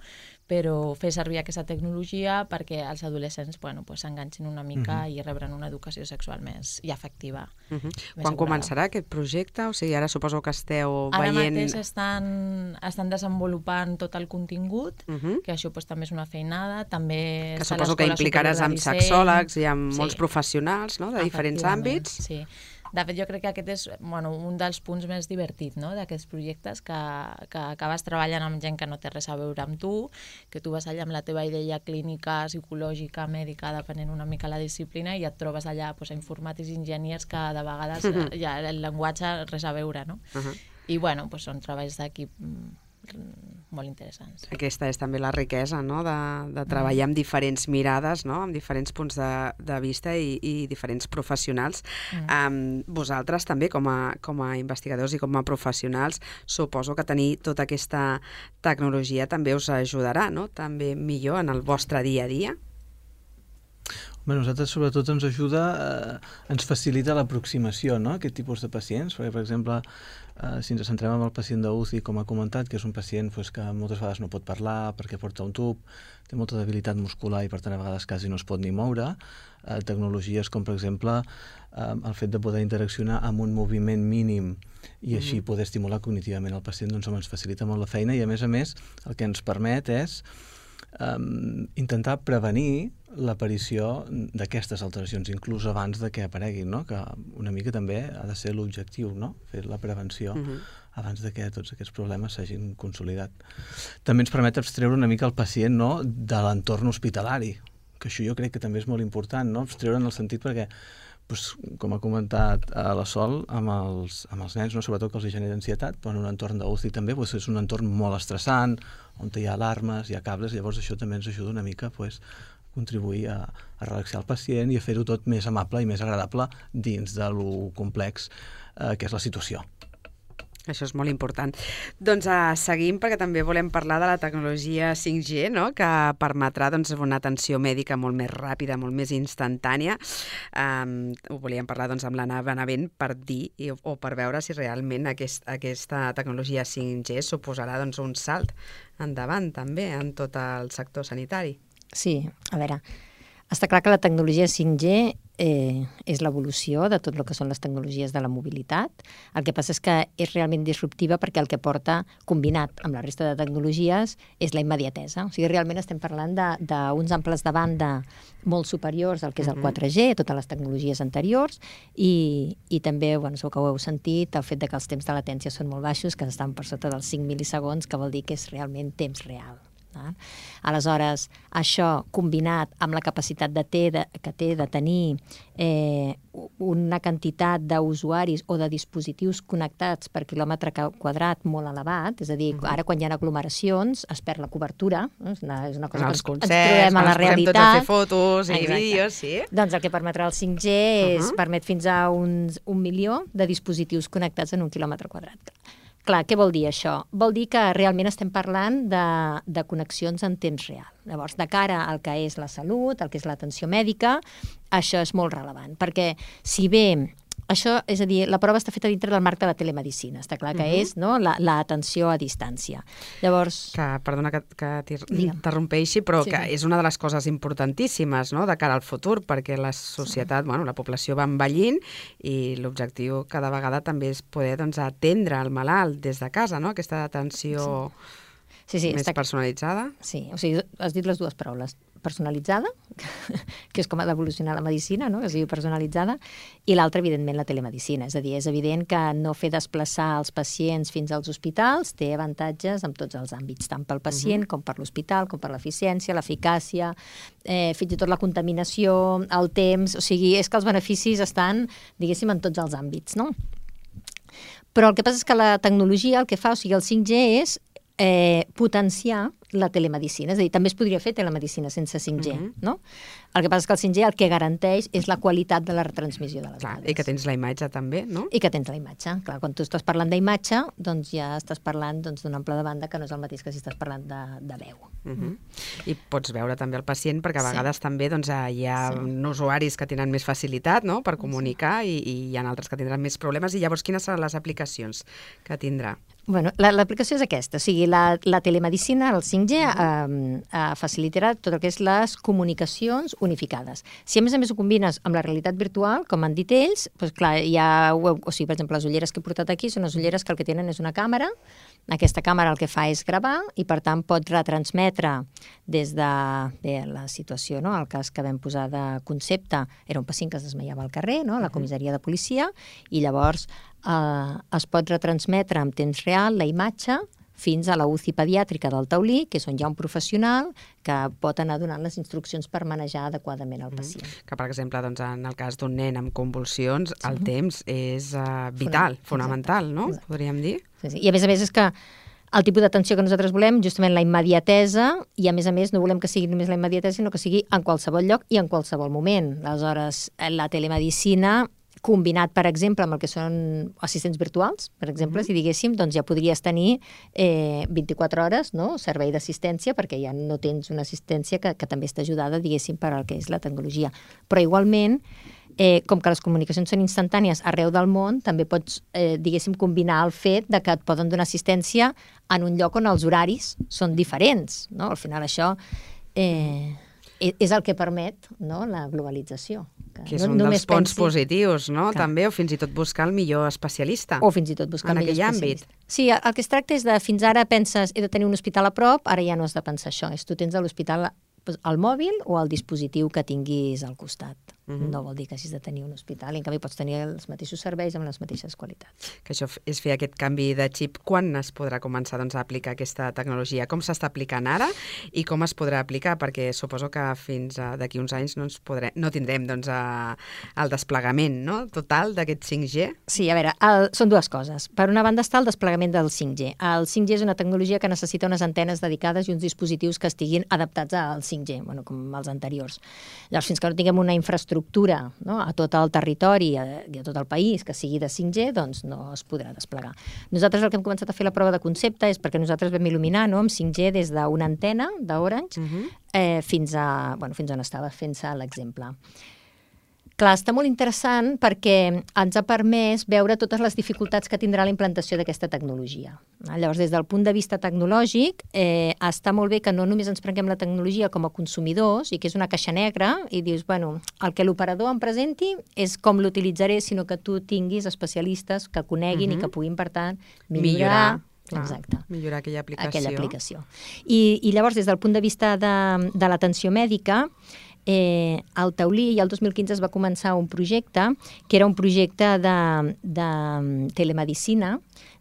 però fer servir aquesta tecnologia perquè els adolescents bueno, pues, s'enganxin una mica uh-huh. i rebran una educació sexual més i afectiva. Uh-huh. Quan assegurada. Començarà aquest projecte? O sigui, ara suposo que esteu ara veient... Ara mateix estan, estan desenvolupant tot el contingut, uh-huh. que això pues, també és una feinada, també... Que suposo que implicaràs amb sexòlegs i amb sí. molts professionals, no?, de diferents àmbits. Sí. De fet, jo crec que aquest és bueno, un dels punts més divertits, no?, d'aquests projectes, que, que acabes treballant amb gent que no té res a veure amb tu, que tu vas allà amb la teva idea clínica, psicològica, mèdica, depenent una mica la disciplina, i et trobes allà pues, informàtics i enginyers que de vegades uh-huh. ja el llenguatge res a veure, no? Uh-huh. I, bueno, doncs són treballs d'equip molt interessants. Aquesta és també la riquesa, no?, de, de treballar amb diferents mirades, no?, amb diferents punts de, de vista i, i diferents professionals. Mm. Um, vosaltres també, com a, com a investigadors i com a professionals, suposo que tenir tota aquesta tecnologia també us ajudarà, no?, també millor en el vostre dia a dia. Bé, nosaltres sobretot ens ajuda, eh, ens facilita l'aproximació, no?, a aquest tipus de pacients, perquè, per exemple, eh, si ens centrem en el pacient d'U C I, com ha comentat, que és un pacient pues, que moltes vegades no pot parlar perquè porta un tub, té molta debilitat muscular i per tant a vegades quasi no es pot ni moure, eh, tecnologies com, per exemple, eh, el fet de poder interaccionar amb un moviment mínim i així mm-hmm. poder estimular cognitivament el pacient, doncs ens facilita molt la feina i, a més a més, el que ens permet és Um, intentar prevenir l'aparició d'aquestes alteracions, inclús abans de que apareguin, no? Que una mica també ha de ser l'objectiu, no? Fer la prevenció uh-huh. abans de que tots aquests problemes s'hagin consolidat. També ens permet abstreure una mica el pacient, no?, de l'entorn hospitalari, que això jo crec que també és molt important, no?, abstreure en el sentit perquè pues, com ha comentat a la Sol, amb els, amb els nens, no? Sobretot que els genera ansietat, però en un entorn d'U C I també pues, és un entorn molt estressant, on hi ha alarmes, hi ha cables, llavors això també ens ajuda una mica pues, a contribuir a, a relaxar el pacient i a fer-ho tot més amable i més agradable dins de lo complex eh, que és la situació. Això és molt important. Doncs uh, seguim perquè també volem parlar de la tecnologia cinc G, no?, que permetrà doncs, una atenció mèdica molt més ràpida, molt més instantània. Um, ho volíem parlar doncs, amb l'Anna Benavent per dir i, o per veure si realment aquest, aquesta tecnologia cinc G suposarà doncs, un salt endavant també en tot el sector sanitari. Sí, a veure, està clar que la tecnologia cinc G eh, és l'evolució de tot el que són les tecnologies de la mobilitat. El que passa és que és realment disruptiva perquè el que porta, combinat amb la resta de tecnologies, és la immediatesa. O sigui, realment estem parlant d'uns amples de banda molt superiors al que és el quatre G, totes les tecnologies anteriors, i, i també, bueno, segur que ho heu sentit, el fet de que els temps de latència són molt baixos, que estan per sota dels cinc milisegons, que vol dir que és realment temps real. Aleshores, això combinat amb la capacitat de té, de, que té de tenir eh, una quantitat d'usuaris o de dispositius connectats per quilòmetre quadrat molt elevat, és a dir, ara quan hi ha aglomeracions es perd la cobertura, és una, és una cosa els que concerts, ens trobem a la realitat. Tots a fer fotos i Exacte. vídeos, sí. Doncs el que permetrà el cinc G és, uh-huh. permet fins a uns, un milió de dispositius connectats en un quilòmetre quadrat. Clar, què vol dir això? Vol dir que realment estem parlant de, de connexions en temps real. Llavors, de cara al que és la salut, al que és l'atenció mèdica, això és molt rellevant, perquè si bé això, és a dir, la prova està feta dintre del marc de la telemedicina, està clar que uh-huh. és no, l'atenció la, a distància. Llavors... Que, perdona que, que t'interrompeixi, però sí, que sí. és una de les coses importantíssimes, no?, de cara al futur, perquè la societat, sí. bueno, la població va envellint i l'objectiu cada vegada també és poder doncs, atendre el malalt des de casa, no?, aquesta atenció sí. Sí, sí, més està... personalitzada. Sí, o sigui, has dit les dues paraules. Personalitzada, que és com ha d'evolucionar la medicina, no?, que sigui personalitzada, i l'altra, evidentment, la telemedicina. És a dir, és evident que no fer desplaçar els pacients fins als hospitals té avantatges en tots els àmbits, tant pel pacient uh-huh. com per l'hospital, com per l'eficiència, l'eficàcia, eh, fins i tot la contaminació, el temps... O sigui, és que els beneficis estan, diguéssim, en tots els àmbits, no? Però el que passa és que la tecnologia el que fa, o sigui, el cinc G és eh, potenciar la telemedicina, és a dir, també es podria fer telemedicina sense cinc G, uh-huh. no? El que passa és que el cinc G el que garanteix és la qualitat de la retransmissió de les Clar, dades. I que tens la imatge també, no? I que tens la imatge. Clar, quan tu estàs parlant d'imatge, doncs ja estàs parlant doncs, d'un ample de banda que no és el mateix que si estàs parlant de, de veu. Uh-huh. I pots veure també el pacient, perquè a vegades sí. també doncs, hi ha sí. usuaris que tenen més facilitat, no?, per comunicar, sí. i, i hi ha altres que tindran més problemes. I llavors, quines seran les aplicacions que tindrà? Bueno, l'aplicació és aquesta, o sigui, la, la telemedicina, el cinc G, eh, eh, facilitarà tot el que és les comunicacions unificades. Si a més a més ho combines amb la realitat virtual, com han dit ells, doncs clar, hi ha, o sigui, per exemple, les ulleres que he portat aquí són les ulleres que el que tenen és una càmera, aquesta càmera el que fa és gravar i per tant pot retransmetre des de bé, la situació, no? El cas que vam posar de concepte era un pacient que es desmaiava al carrer, no?, a la comissaria de policia, i llavors eh, es pot retransmetre en temps real la imatge fins a la U C I pediàtrica del Taulí, que és on hi ha un professional que pot anar donant les instruccions per manejar adequadament el pacient. Mm. Que, per exemple, doncs, en el cas d'un nen amb convulsions, el sí. temps és uh, vital, Fonament. fonamental, no? Exacte. Podríem dir? Sí, sí. I a més a més és que el tipus d'atenció que nosaltres volem, justament la immediatesa, i a més a més no volem que sigui només la immediatesa, sinó que sigui en qualsevol lloc i en qualsevol moment. Aleshores, la telemedicina, combinat, per exemple, amb el que són assistents virtuals, per exemple, mm-hmm. si diguéssim, doncs ja podries tenir eh, vint-i-quatre hores, no?, servei d'assistència, perquè ja no tens una assistència que, que també està ajudada, diguéssim, per al que és la tecnologia. Però igualment, eh, com que les comunicacions són instantànies arreu del món, també pots, eh, diguéssim, combinar el fet de que et poden donar assistència en un lloc on els horaris són diferents, no? Al final això eh, és el que permet, no?, la globalització. Que és no, un dels punts pensi... positius, no? Que... També, o fins i tot buscar el millor especialista. O fins i tot buscar el millor especialista. Àmbit. Sí, el que es tracta és de, fins ara penses, he de tenir un hospital a prop, ara ja no has de pensar això. És tu tens a l'hospital al mòbil o al dispositiu que tinguis al costat. Uh-huh. No vol dir que hagis de tenir un hospital, i en canvi pots tenir els mateixos serveis amb les mateixes qualitats. Que això és fer aquest canvi de xip. Quan es podrà començar, doncs, a aplicar aquesta tecnologia? Com s'està aplicant ara i com es podrà aplicar? Perquè suposo que fins d'aquí uns anys no, ens podrem, no tindrem, doncs, a, el desplegament, no?, total d'aquest cinc G. Sí, a veure, el, són dues coses. Per una banda està el desplegament del cinc G. El cinc G és una tecnologia que necessita unes antenes dedicades i uns dispositius que estiguin adaptats al cinc G, bueno, com els anteriors. Llavors, fins que no tinguem una infraestructura estructura, no?, a tot el territori i a, i a tot el país que sigui de cinc G, doncs no es podrà desplegar. Nosaltres el que hem començat a fer la prova de concepte és perquè nosaltres vam il·luminar, no?, amb cinc G des d'una antena d'Orange uh-huh. eh, fins a, bueno, fins on estava fent-se l'exemple. Clar, està molt interessant perquè ens ha permès veure totes les dificultats que tindrà la implantació d'aquesta tecnologia. Llavors, des del punt de vista tecnològic, eh, està molt bé que no només ens prenguem la tecnologia com a consumidors i que és una caixa negra i dius, bueno, el que l'operador em presenti és com l'utilitzaré, sinó que tu tinguis especialistes que coneguin uh-huh. i que puguin, per tant, millorar... millorar. Exacte. Millorar aquella aplicació. Aquella aplicació. I, i llavors, des del punt de vista de, de l'atenció mèdica, Eh, al Taulí, i el dos mil quinze es va començar un projecte que era un projecte de, de telemedicina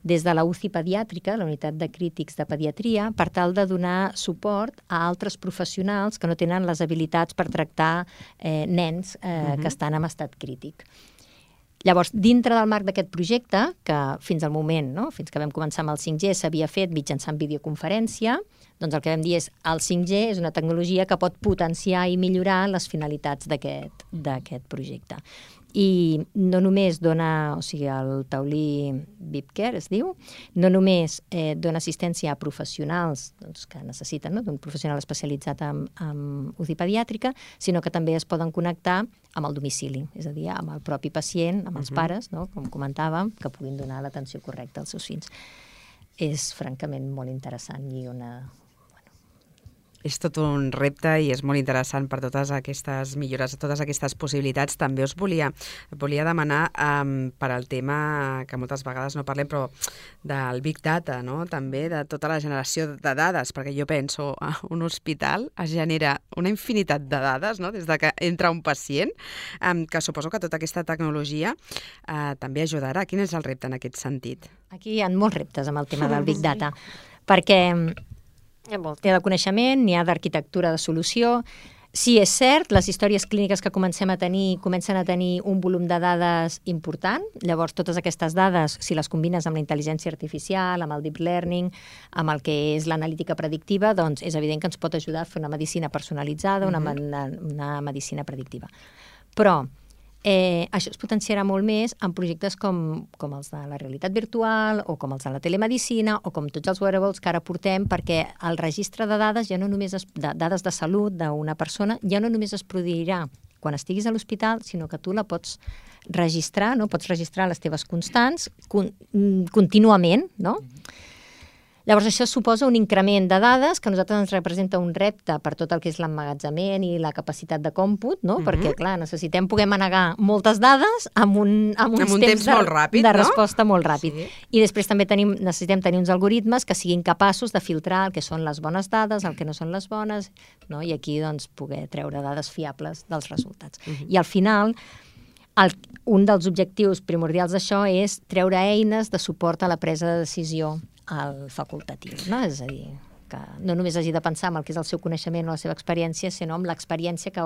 des de la U C I pediàtrica, la unitat de crítics de pediatria, per tal de donar suport a altres professionals que no tenen les habilitats per tractar eh, nens eh, uh-huh. que estan en estat crític. Llavors, dintre del marc d'aquest projecte, que fins al moment, no?, fins que vam començar amb el cinc G, s'havia fet mitjançant videoconferència, doncs el que vam dir és el cinc G és una tecnologia que pot potenciar i millorar les finalitats d'aquest d'aquest projecte. I no només dona, o sigui, el Taulí V I P Care es diu, no només eh, dona assistència a professionals doncs, que necessiten, no?, d'un professional especialitzat en, en U C I pediàtrica, sinó que també es poden connectar amb el domicili, és a dir, amb el propi pacient, amb els uh-huh. pares, no?, com comentàvem, que puguin donar l'atenció correcta als seus fills. És francament molt interessant i una... És tot un repte i és molt interessant per totes aquestes millores, totes aquestes possibilitats. També us volia, volia demanar um, per al tema que moltes vegades no parlem, però del Big Data, no?, també de tota la generació de dades, perquè jo penso a un hospital es genera una infinitat de dades, no?, des de que entra un pacient, um, que suposo que tota aquesta tecnologia uh, també ajudarà. Quin és el repte en aquest sentit? Aquí hi ha molts reptes amb el tema del Big Data, perquè n'hi ha de coneixement, n'hi ha d'arquitectura de solució. Sí, és cert, les històries clíniques que comencem a tenir comencen a tenir un volum de dades important. Llavors, totes aquestes dades, si les combines amb la intel·ligència artificial, amb el deep learning, amb el que és l'analítica predictiva, doncs és evident que ens pot ajudar a fer una medicina personalitzada, una, una, una medicina predictiva. Però Eh, això es potenciarà molt més en projectes com, com els de la realitat virtual o com els de la telemedicina o com tots els wearables que ara portem, perquè el registre de dades, ja no només es, de dades de salut d'una persona, ja no només es produirà quan estiguis a l'hospital, sinó que tu la pots registrar, no? Pots registrar les teves constants con, contínuament, no? Llavors, això suposa un increment de dades que a nosaltres ens representa un repte per tot el que és l'emmagatzement i la capacitat de còmput, no? Uh-huh. Perquè, clar, necessitem poder manegar moltes dades amb, un, amb uns amb un temps, temps de, molt ràpid, de no? resposta molt ràpid. Sí. I després també tenim, necessitem tenir uns algoritmes que siguin capaços de filtrar el que són les bones dades, el que no són les bones, no? I aquí, doncs, poder treure dades fiables dels resultats. Uh-huh. I al final, el, un dels objectius primordials d'això és treure eines de suport a la presa de decisió al facultatiu, no? És a dir, que no només hagi de pensar en el que és el seu coneixement o la seva experiència, sinó en l'experiència que,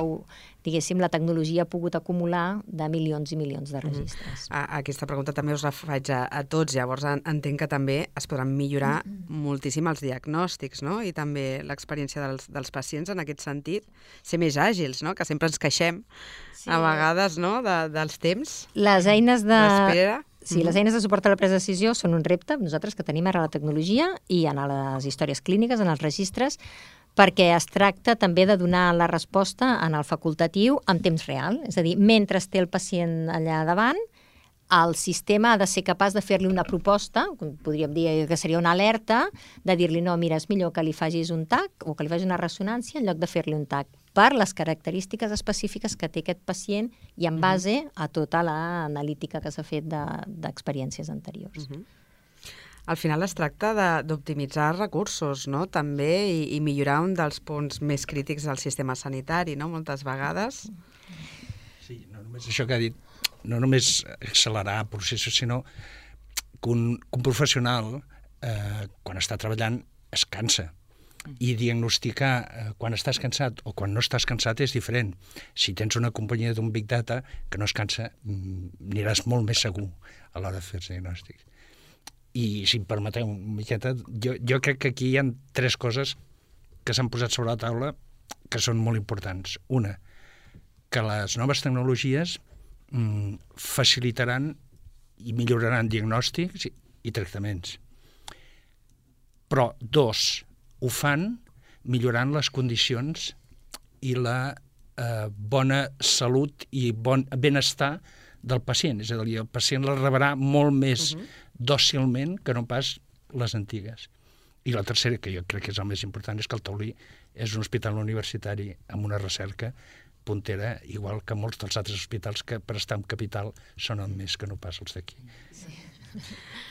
diguéssim, la tecnologia ha pogut acumular de milions i milions de registres. Mm-hmm. A, aquesta pregunta també us la faig a, a tots, llavors en, entenc que també es podran millorar mm-hmm. moltíssim els diagnòstics, no? I també l'experiència dels, dels pacients en aquest sentit, ser més àgils, no? Que sempre ens queixem sí. a vegades, no? De, dels temps. Les eines de... d'espera. Sí, les eines de suport a la presa de decisió són un repte, nosaltres que tenim ara la tecnologia i en les històries clíniques, en els registres, perquè es tracta també de donar la resposta en el facultatiu en temps real. És a dir, mentre té el pacient allà davant, el sistema ha de ser capaç de fer-li una proposta, podríem dir que seria una alerta, de dir-li, no, mira, és millor que li facis un T A C o que li facis una ressonància en lloc de fer-li un T A C, per les característiques específiques que té aquest pacient i en base a tota l'analítica que s'ha fet d'experiències anteriors. Uh-huh. Al final es tracta d'optimitzar recursos, no? També, i, i millorar un dels punts més crítics del sistema sanitari, no? Moltes vegades. Sí, no només això que ha dit, no només accelerar processos, sinó que un, que un professional, eh, quan està treballant, es cansa. I diagnosticar eh, quan estàs cansat o quan no estàs cansat és diferent. Si tens una companyia d'un Big Data que no es cansa, aniràs molt més segur a l'hora de fer els diagnòstics. I si em permeteu una miqueta, jo, jo crec que aquí hi ha tres coses que s'han posat sobre la taula que són molt importants. Una, que les noves tecnologies mm, facilitaran i milloraran diagnòstics i, i tractaments. Però, dos, ho fan millorant les condicions i la eh, bona salut i bon benestar del pacient. És a dir, el pacient la rebrà molt més uh-huh. dòcilment que no pas les antigues. I la tercera, que jo crec que és el més important, és que el Taulí és un hospital universitari amb una recerca puntera, igual que molts dels altres hospitals que per estar en capital són el més que no pas els d'aquí. Sí.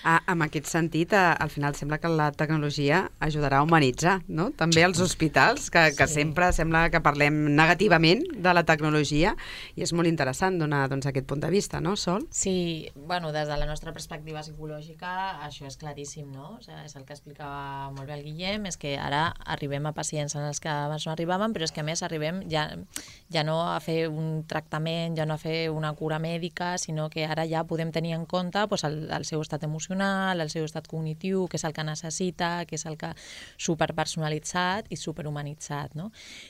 Ah, en aquest sentit, a, al final sembla que la tecnologia ajudarà a humanitzar, no? També els hospitals, que, que sí. sempre sembla que parlem negativament de la tecnologia, i és molt interessant donar doncs, aquest punt de vista, no, Sol? Sí, bueno, des de la nostra perspectiva psicològica això és claríssim, no? O sigui, és el que explicava molt bé el Guillem, és que ara arribem a pacients en els que abans no arribaven, però és que a més arribem ja, ja no a fer un tractament, ja no a fer una cura mèdica, sinó que ara ja podem tenir en compte doncs, el, el seu estat emocional, el seu estat cognitiu, què és el que necessita, què és el que superpersonalitzat i superhumanitzat, no?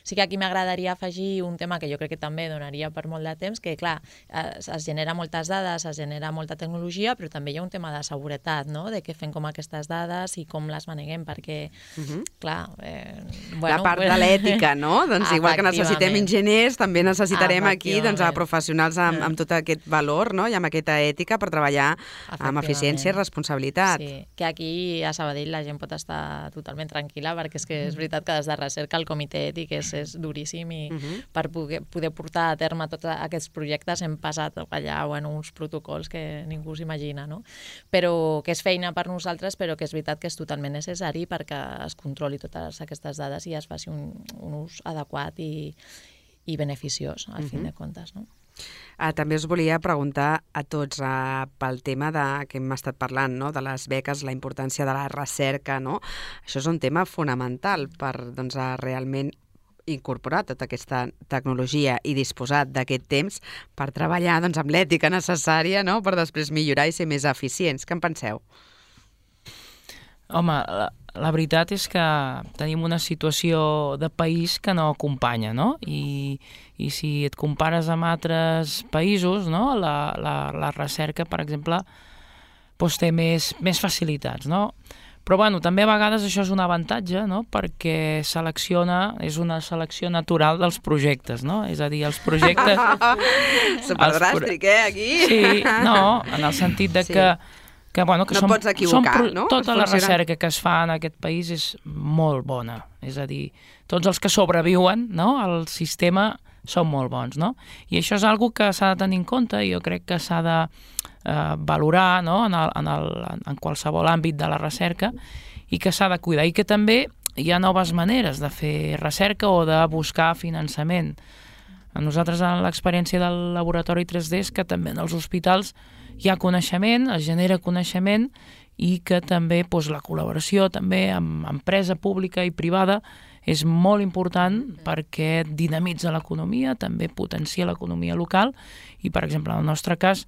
Sí que aquí m'agradaria afegir un tema que jo crec que també donaria per molt de temps, que clar, es, es genera moltes dades, es genera molta tecnologia, però també hi ha un tema de seguretat, no? De què fem com aquestes dades i com les maneguem, perquè, uh-huh. clar... Eh, bueno, la part pues... de l'ètica, no? Doncs igual que necessitem enginyers, també necessitarem aquí doncs, a professionals amb, amb tot aquest valor, no? I amb aquesta ètica per treballar amb eficiència i responsabilitat. Sí, que aquí a Sabadell la gent pot estar totalment tranquil·la, perquè és que és veritat que des de recerca el comitè ètic és, és duríssim i uh-huh. per poder, poder portar a terme tots aquests projectes hem passat allà bueno, uns protocols que ningú s'imagina, no? Però que és feina per nosaltres, però que és veritat que és totalment necessari perquè es controli totes aquestes dades i es faci un, un ús adequat i, i beneficiós, al uh-huh. fin de comptes, no? Uh, també us volia preguntar a tots uh, pel tema de, que hem estat parlant, no? De les beques, la importància de la recerca, no? Això és un tema fonamental per doncs, uh, realment incorporar tota aquesta tecnologia i disposar d'aquest temps per treballar doncs, amb l'ètica necessària, no? Per després millorar i ser més eficients. Què en penseu? Home, la, la veritat és que tenim una situació de país que no acompanya, no? I, i si et compares amb altres països, no? La, la, la recerca, per exemple, doncs té més, més facilitats, no? Però bueno, també a vegades això és un avantatge, no? Perquè selecciona, és una selecció natural dels projectes, no? És a dir, els projectes... Superdràstic, eh, aquí? Sí, no, en el sentit de sí. que que, bueno, que no som, pots equivocar, som, no? Tota la recerca que es fa en aquest país és molt bona. És a dir, tots els que sobreviuen, no?, al sistema són molt bons, no? I això és una que s'ha de tenir en compte i jo crec que s'ha de eh, valorar, no?, en, el, en, el, en qualsevol àmbit de la recerca i que s'ha de cuidar. I que també hi ha noves maneres de fer recerca o de buscar finançament. A nosaltres, en l'experiència del laboratori tres D, és que també en els hospitals hi ha coneixement, es genera coneixement i que també doncs, la col·laboració també amb empresa pública i privada és molt important perquè dinamitza l'economia, també potencia l'economia local i, per exemple, en el nostre cas,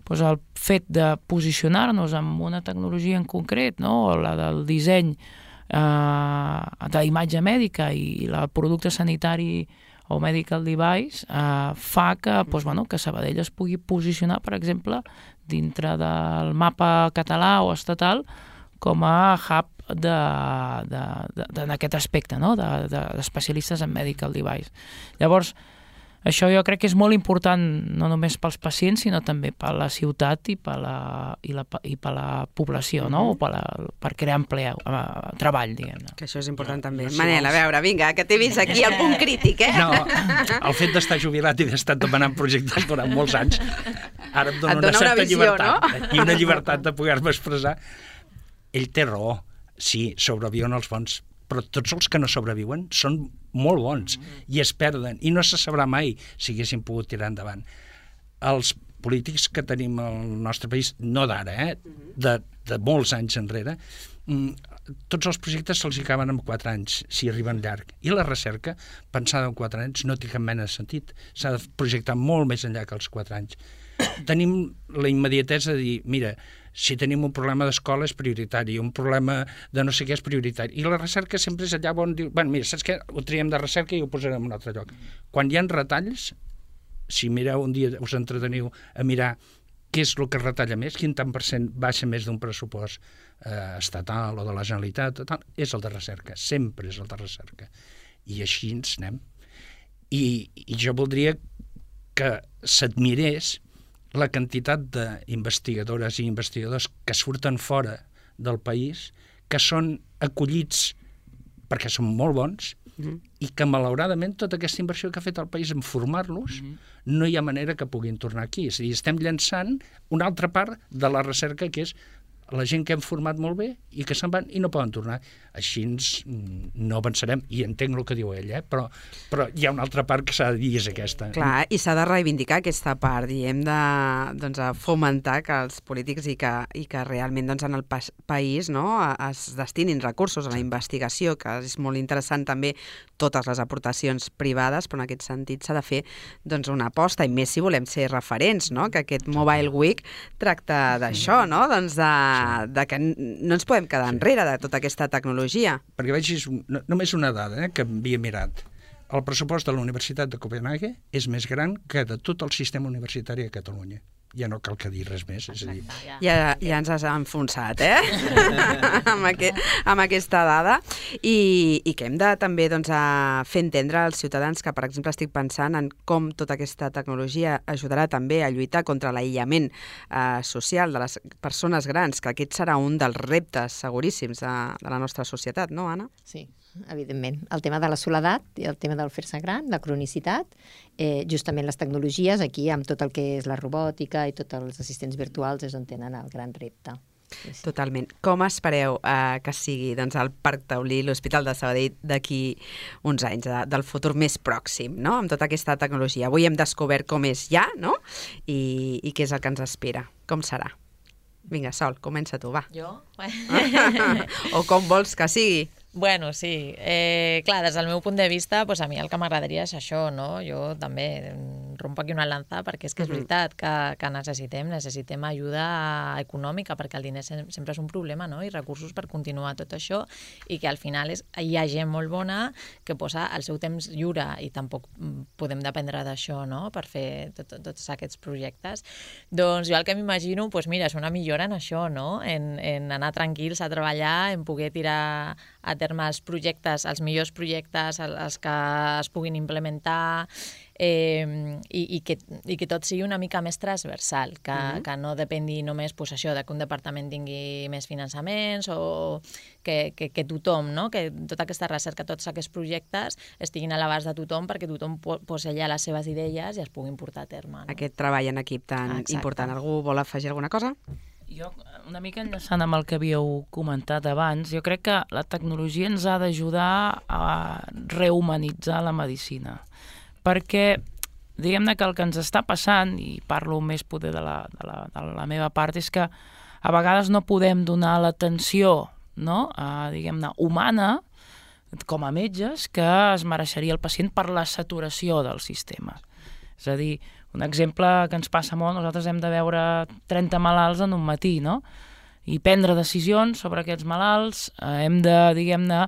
doncs el fet de posicionar-nos en una tecnologia en concret, no? La del disseny eh, d'imatge mèdica i el producte sanitari o medical device eh, fa que, doncs, bueno, que Sabadell es pugui posicionar, per exemple, dintre del mapa català o estatal com a hub de, de, de, de, en aquest aspecte, no? d'especialistes de, de en medical device. Llavors, això jo crec que és molt important no només pels pacients, sinó també per la ciutat i per la, i la, i per la població, no? O per, la, per crear empleo, eh, treball, diguem-ne. Que això és important No, també. no, si Manel, a vols- veure, vinga, que t'he vist aquí al punt crític, eh? No, el fet d'estar jubilat i d'estar demanant projectes durant molts anys, ara em dona Et una dona una certa visió, llibertat no? i una llibertat de poder-me expressar. Ell té raó, sí, sobreviuen els bons, però tots els que no sobreviuen són molt bons i es perden i no se sabrà mai si haguessin pogut tirar endavant. Els polítics que tenim al nostre país, no d'ara, eh? de, de molts anys enrere, tots els projectes se'ls acaben en quatre anys, si arriben llarg. I la recerca, pensada en quatre anys, no té cap mena de sentit. S'ha de projectar molt més enllà que els quatre anys. Tenim la immediatesa de dir, mira, si tenim un problema d'escola és prioritari, un problema de no sé què és prioritari. I la recerca sempre és allà on diu, bueno, mira, saps què? Ho triem de recerca i ho posarem en un altre lloc. Quan hi ha retalls, si mireu un dia, us entreteniu a mirar què és el que es retalla més, quin tant per cent baixa més d'un pressupost eh, estatal o de la Generalitat, tal, és el de recerca, sempre és el de recerca. I així ens anem. I, i jo voldria que s'admirés la quantitat d'investigadores i investigadors que surten fora del país, que són acollits perquè són molt bons, mm-hmm. i que malauradament tota aquesta inversió que ha fet el país en formar-los, mm-hmm. no hi ha manera que puguin tornar aquí. És a dir, estem llançant una altra part de la recerca, que és la gent que hem format molt bé i que se'n van i no poden tornar. Així ens, no avançarem, i entenc el que diu ell, eh? però, però hi ha una altra part que s'ha de dir, és aquesta. Clar, i s'ha de reivindicar aquesta part, diguem, de, doncs, de fomentar que els polítics i que, i que realment doncs, en el pa país no, es destinin recursos a la investigació, que és molt interessant també totes les aportacions privades, però en aquest sentit s'ha de fer doncs, una aposta, i més si volem ser referents, no? Que aquest Mobile Week tracta d'això, no? Doncs de, de que no ens podem quedar enrere de tota aquesta tecnologia. Perquè vegis, no, només una dada eh, que havia mirat. El pressupost de la Universitat de Copenhague és més gran que de tot el sistema universitari a Catalunya. Ja no cal que dir res més, és a dir... Ja, ja ens has enfonsat, eh? amb, aquest, amb aquesta dada. I, i que hem de també doncs, a fer entendre als ciutadans que, per exemple, estic pensant en com tota aquesta tecnologia ajudarà també a lluitar contra l'aïllament eh, social de les persones grans, que aquest serà un dels reptes seguríssims de, de la nostra societat, no, Anna? Sí, evidentment. El tema de la soledat i el tema del fer-se gran, la cronicitat, eh, justament les tecnologies, aquí amb tot el que és la robòtica i tots els assistents virtuals és on tenen el gran repte. Sí, sí. Totalment. Com espereu eh, que sigui doncs, el Parc Taulí, l'Hospital de Sabadell, d'aquí uns anys, de, del futur més pròxim, no? Amb tota aquesta tecnologia. Avui hem descobert com és ja, no? I, i què és el que ens espera. Com serà? Vinga, Sol, comença tu, va. Jo? O com vols que sigui. Bueno, sí. Eh, clar, des del meu punt de vista, pues a mi el que m'agradaria és això, no? Jo també rompo aquí una lanza perquè és que és veritat que, que necessitem, necessitem ajuda econòmica perquè el diner sempre és un problema, no? I recursos per continuar tot això i que al final és, hi ha gent molt bona que posa el seu temps lliure i tampoc podem dependre d'això, no? Per fer tot, tots aquests projectes. Doncs jo el que m'imagino, pues mira, és una millora en això, no? En, en anar tranquils a treballar, en poder tirar a terme els projectes, els millors projectes, els que es puguin implementar, eh, i, i, que, i que tot sigui una mica més transversal, que, mm-hmm. que no depengui només pues, això, de que un departament tingui més finançaments o que, que, que tothom, no? Que tota aquesta recerca, tots aquests projectes estiguin a l'abast de tothom perquè tothom posi allà les seves idees i es puguin portar a terme. No? Aquest treball en equip tan Exacte. important. Algú vol afegir alguna cosa? Jo, una mica enllaçant amb el que havíeu comentat abans, jo crec que la tecnologia ens ha d'ajudar a rehumanitzar la medicina. Perquè, diguem-ne que el que ens està passant, i parlo més poder de la, de la, de la meva part, és que a vegades no podem donar l'atenció, no?, a, diguem-ne, humana, com a metges, que es mereixeria el pacient per la saturació del sistema. És a dir, un exemple que ens passa molt, nosaltres hem de veure trenta malalts en un matí, no?, i prendre decisions sobre aquests malalts, eh, hem de, diguem-ne,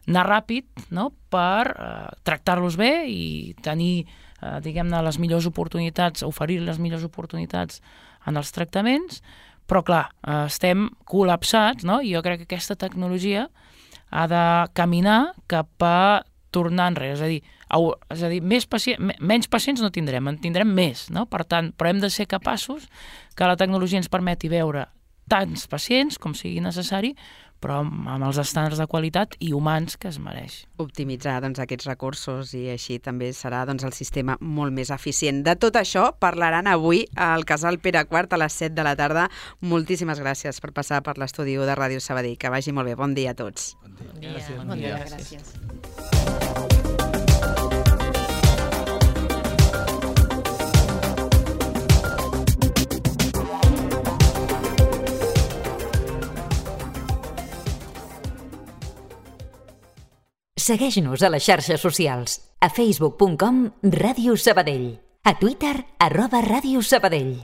anar ràpid, no?, per eh, tractar-los bé i tenir, eh, diguem-ne, les millors oportunitats, oferir les millors oportunitats en els tractaments, però clar, eh, estem col·lapsats, no?, i jo crec que aquesta tecnologia ha de caminar cap a tornar enrere, és a dir, au, és a dir més pacient, menys pacients no tindrem, en tindrem més, no? Per tant, però hem de ser capaços que la tecnologia ens permeti veure tants pacients com sigui necessari, però amb els estàndards de qualitat i humans que es mereix. Optimitzar doncs, aquests recursos i així també serà doncs, el sistema molt més eficient. De tot això parlaran avui al Casal Pere quart a les set de la tarda. Moltíssimes gràcies per passar per l'estudi de Ràdio Sabadell. Que vagi molt bé. Bon dia a tots. Bon dia. Bon dia. Gràcies. Bon dia, gràcies. Segueix-nos a les xarxes socials. A facebook punt com Ràdio Sabadell. A Twitter, arroba Ràdio Sabadell.